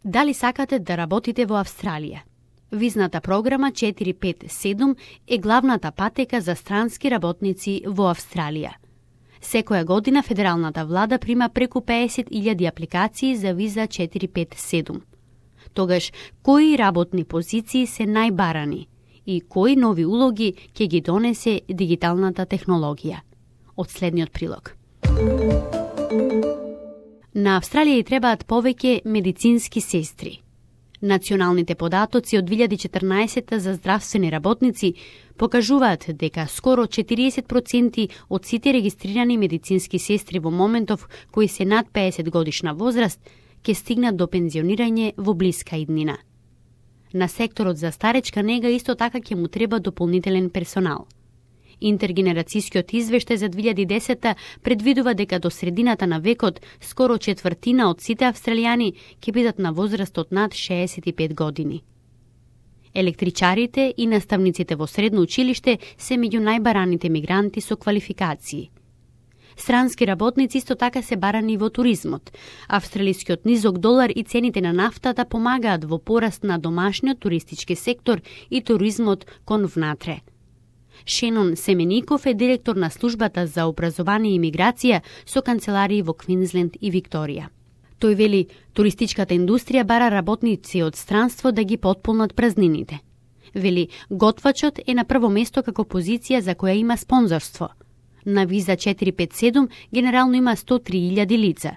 Дали сакате да работите во Австралија? Визната програма 457 е главната патека за странски работници во Австралија. Секоја година федералната влада прима преку 50.000 апликации за виза 457. Тогаш, кои работни позиции се најбарани и кои нови улоги ќе ги донесе дигиталната технологија? Од следниот прилог. На Австралија и требаат повеќе медицински сестри. Националните податоци од 2014 за здравствени работници покажуваат дека скоро 40% од сите регистрирани медицински сестри во моментов кои се над 50 годишна возраст ќе стигнат до пензионирање во блиска иднина. На секторот за старечка нега исто така ќе му треба дополнителен персонал. Интергенерацијскиот извештај за 2010 предвидува дека до средината на векот скоро четвртина од сите австралијани ќе бидат на возраст од над 65 години. Електричарите и наставниците во средно училиште се меѓу најбараните мигранти со квалификации. Странски работници исто така се барани во туризмот. Австралискиот низок долар и цените на нафтата помагаат во пораст на домашниот туристички сектор и туризмот кон внатре. Шенон Семеников е директор на службата за образование и миграција со канцеларии во Квинсленд и Викторија. Тој вели, туристичката индустрија бара работници од странство да ги потполнат празнините. Вели, готвачот е на прво место како позиција за која има спонзорство. На виза 457 генерално има 103.000 лица.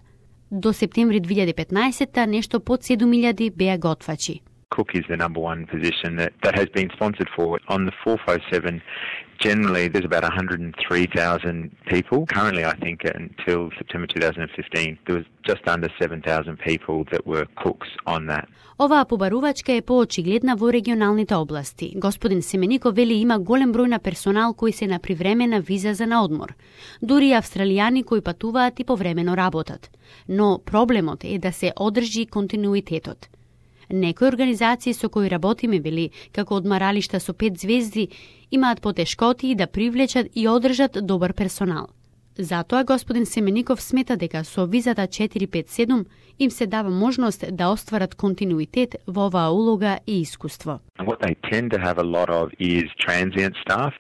До септември 2015 нешто под 7.000 беа готвачи. Cook is the number one position that has been sponsored for. On the 457, generally there's about 103,000 people. Currently, I think until September 2015, there was just under 7,000 people that were cooks on that. Оваа побарувачка е поочигледна во регионалните области. Господин Семеников вели има голем број на персонал кои се на привремена виза за наодмор. Дури австралијани кои патуваат и повремено работат. Но проблемот е да се одржи континуитетот. Некои организации со кои работиме били, како одмаралишта со 5 звезди, имаат потешкоти да привлечат и одржат добар персонал. Затоа господин Семеников смета дека со визата 457 им се дава можност да остварат континуитет во оваа улога и искуство. What they tend to have a lot of is transient staff,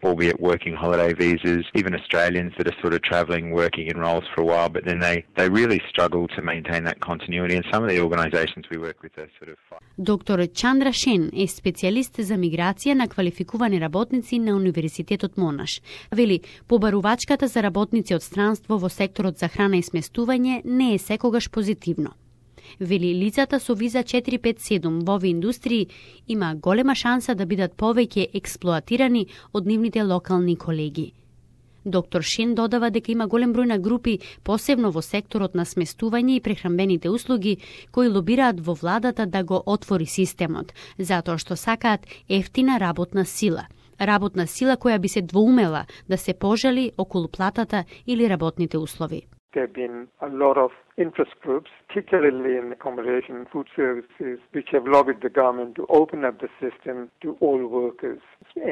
albeit working holiday visas, even Australians that are sort of travelling, working in roles for a while, but then they really struggle to maintain that continuity, and some of the organisations we work with are sort of... Доктор Чандра Шен е специјалист за миграција на квалификувани работници на Универзитетот Монаш. Вели, побарувачката за работници од странство во секторот за храна и сместување не е секогаш позитивно. Вели, лицата со виза 457 во овие индустрии има голема шанса да бидат повеќе експлоатирани од нивните локални колеги. Доктор Шен додава дека има голем број на групи, посебно во секторот на сместување и прехранбените услуги, кои лобираат во владата да го отвори системот, затоа што сакаат ефтина работна сила. Работна сила која би се двоумела да се пожали околу платата или работните услови. There have been a lot of interest groups, particularly in accommodation and food services, which have lobbied the government to open up the system to all workers.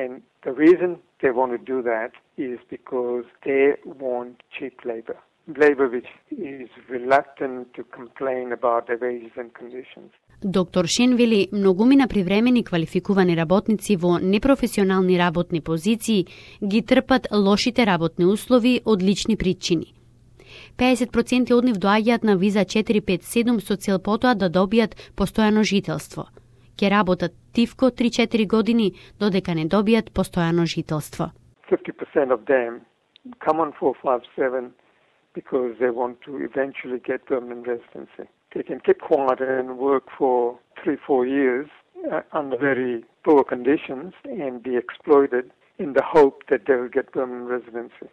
And the reason they want to do that is because they want cheap labor. Labor which is reluctant to complain about their wages and conditions. Доктор Шен вели, многумина привремени квалификувани работници во непрофесионални работни позиции ги трпат лошите работни услови од лични причини. 50% од нив доаѓаат на виза 457 со цел потоа да добијат постојано жителство. Ке работат тивко 3-4 години додека не добијат постојано жителство. 50% of them come on 457 because they want to eventually get permanent residency. They can keep quiet and work for 3-4 years under very poor conditions and be exploited in the hope that they will get permanent residency.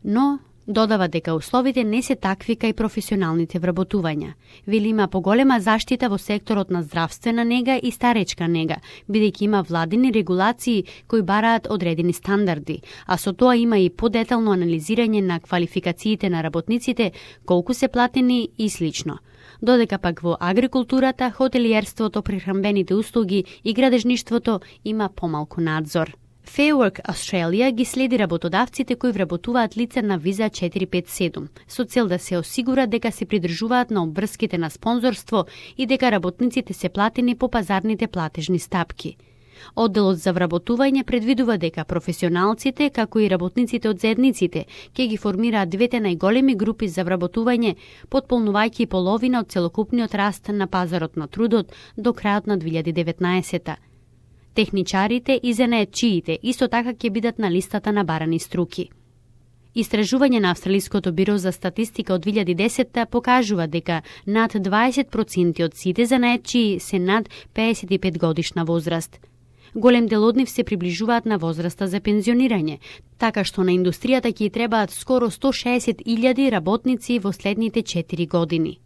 Но додава дека условите не се такви кај професионалните вработувања. Вели има поголема заштита во секторот на здравствена нега и старечка нега, бидејќи има владини регулации кои бараат одредени стандарди, а со тоа има и подетално анализирање на квалификациите на работниците, колку се платени и слично. Додека пак во агрикултурата, хотелиерството, прехранбените услуги и градежништвото има помалку надзор. Fair Work Australia ги следи работодавците кои вработуваат лица на виза 457, со цел да се осигура дека се придржуваат на обврските на спонзорство и дека работниците се платени по пазарните платежни стапки. Одделот за вработување предвидува дека професионалците, како и работниците од заедниците, ќе ги формираат двете најголеми групи за вработување, потполнувајќи половина од целокупниот раст на пазарот на трудот до крајот на 2019. Техничарите и занаетчиите исто така ќе бидат на листата на барани струки. Истражување на Австралиското биро за статистика од 2010 покажува дека над 20% од сите занаетчии се над 55 годишна возраст. Голем дел од нив се приближуваат на возраста за пензионирање, така што на индустријата ќе требаат скоро 160.000 работници во следните 4 години.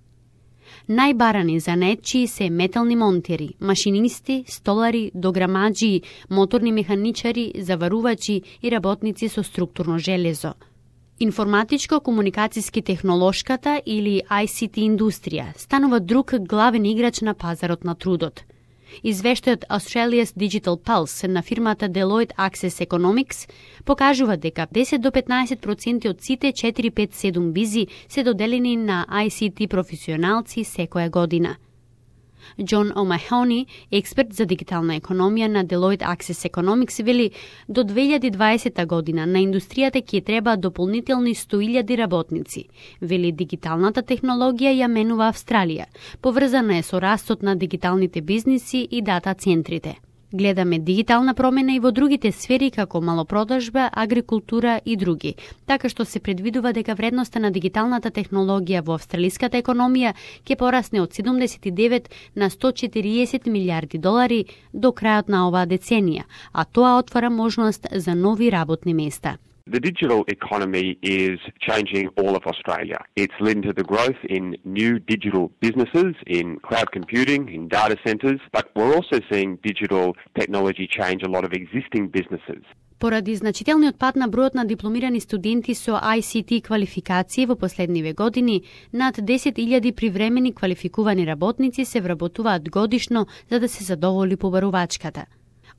Најбарани занаетчии се метални монтери, машинисти, столари, дограмаџи, моторни механичари, заварувачи и работници со структурно железо. Информатичко-комуникациски технолошката или ICT индустрија станува друг главен играч на пазарот на трудот. Извештајот Australia's Digital Pulse на фирмата Deloitte Access Economics покажува дека 10 до 15% од сите 457 визи се доделени на ICT професионалци секоја година. Џон Омахони, експерт за дигитална економија на Deloitte Access Economics, вели до 2020 година на индустријата ќе треба дополнителни 100.000 работници. Вели дигиталната технологија ја менува Австралија, поврзана е со растот на дигиталните бизниси и дата центрите. Гледаме дигитална промена и во другите сфери како малопродажба, агрикултура и други, така што се предвидува дека вредноста на дигиталната технологија во австралиската економија ќе порасне од 79 на 140 милиарди долари до крајот на оваа деценија, а тоа отвара можност за нови работни места. The digital economy is changing all of Australia. It's led to the growth in new digital businesses, in cloud computing, in data centres, but we're also seeing digital technology change a lot of existing businesses. Поради значителниот пад на бројот на дипломирани студенти со ICT квалификации во последниве години, над 10.000 привремени квалификувани работници се вработуваат годишно за да се задоволи побарувачката.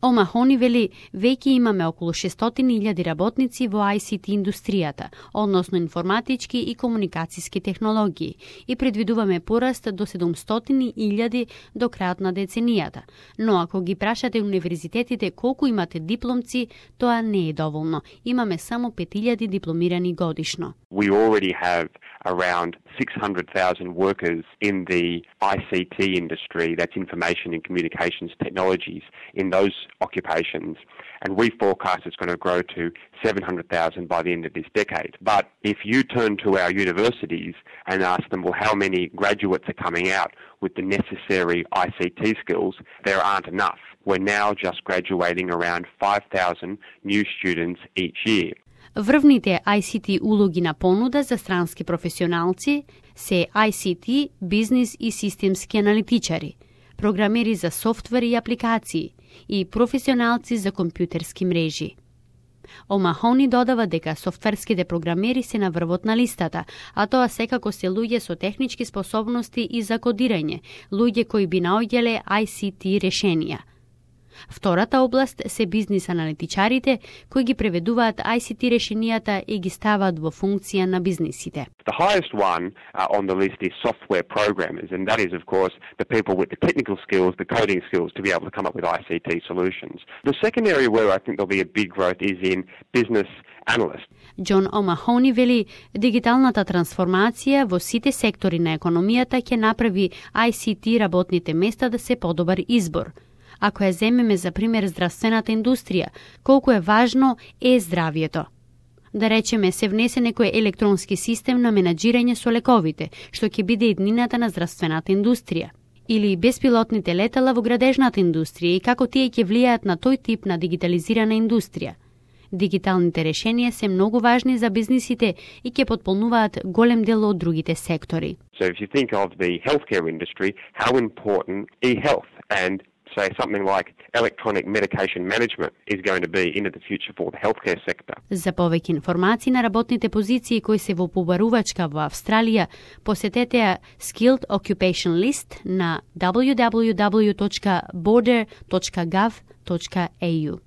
Омахони вели, веќе имаме околу 600.000 работници во ICT индустријата, односно информатички и комуникациски технологии, и предвидуваме пораст до 700.000 до крајот на деценијата. Но ако ги прашате универзитетите колку имате дипломци, тоа не е доволно. Имаме само 5.000 дипломирани годишно. We already have around 600,000 workers in the ICT industry, that's information and communications technologies, in those occupations, and we forecast it's going to grow to 700,000 by the end of this decade. But if you turn to our universities and ask them, well, how many graduates are coming out with the necessary ICT skills, there aren't enough. We're now just graduating around 5,000 new students each year. Врвните ICT улоги на понуда за странски професионалци се ICT, бизнис и системски аналитичари, програмери за софтвер и апликации и професионалци за компјутерски мрежи. Омахони додава дека софтверските програмери се на врвот на листата, а тоа секако се луѓе со технички способности и за кодирање, луѓе кои би наоѓале ICT решенија. Втората област се бизнис аналитичарите кои ги преведуваат ICT решенијата и ги ставаат во функција на бизнисите. The highest one on the list is software programmers, and that is, of course, the people with the technical skills, the coding skills to be able to come up with ICT solutions. The second area where I think there'll be a big growth is in business analysts. Џон Омахони вели, дигиталната трансформација во сите сектори на економијата ќе направи ICT работните места да се подобар избор. Ако ја земеме за пример здравствената индустрија, колку е важно е здравјето. Да речеме, се внесе некој електронски систем на менаџирање со лековите, што ќе биде иднината на здравствената индустрија. Или беспилотните летала во градежната индустрија и како тие ќе влијаат на тој тип на дигитализирана индустрија. Дигиталните решенија се многу важни за бизнисите и ќе потполнуваат голем дел од другите сектори. So if you think of the healthcare industry, how important e-health and say something like electronic medication management is going to be into the future for the healthcare sector. За повеќе информации на работните позиции кои се во побарувачка во Австралија, посетете ја Skilled Occupation List на www.border.gov.au.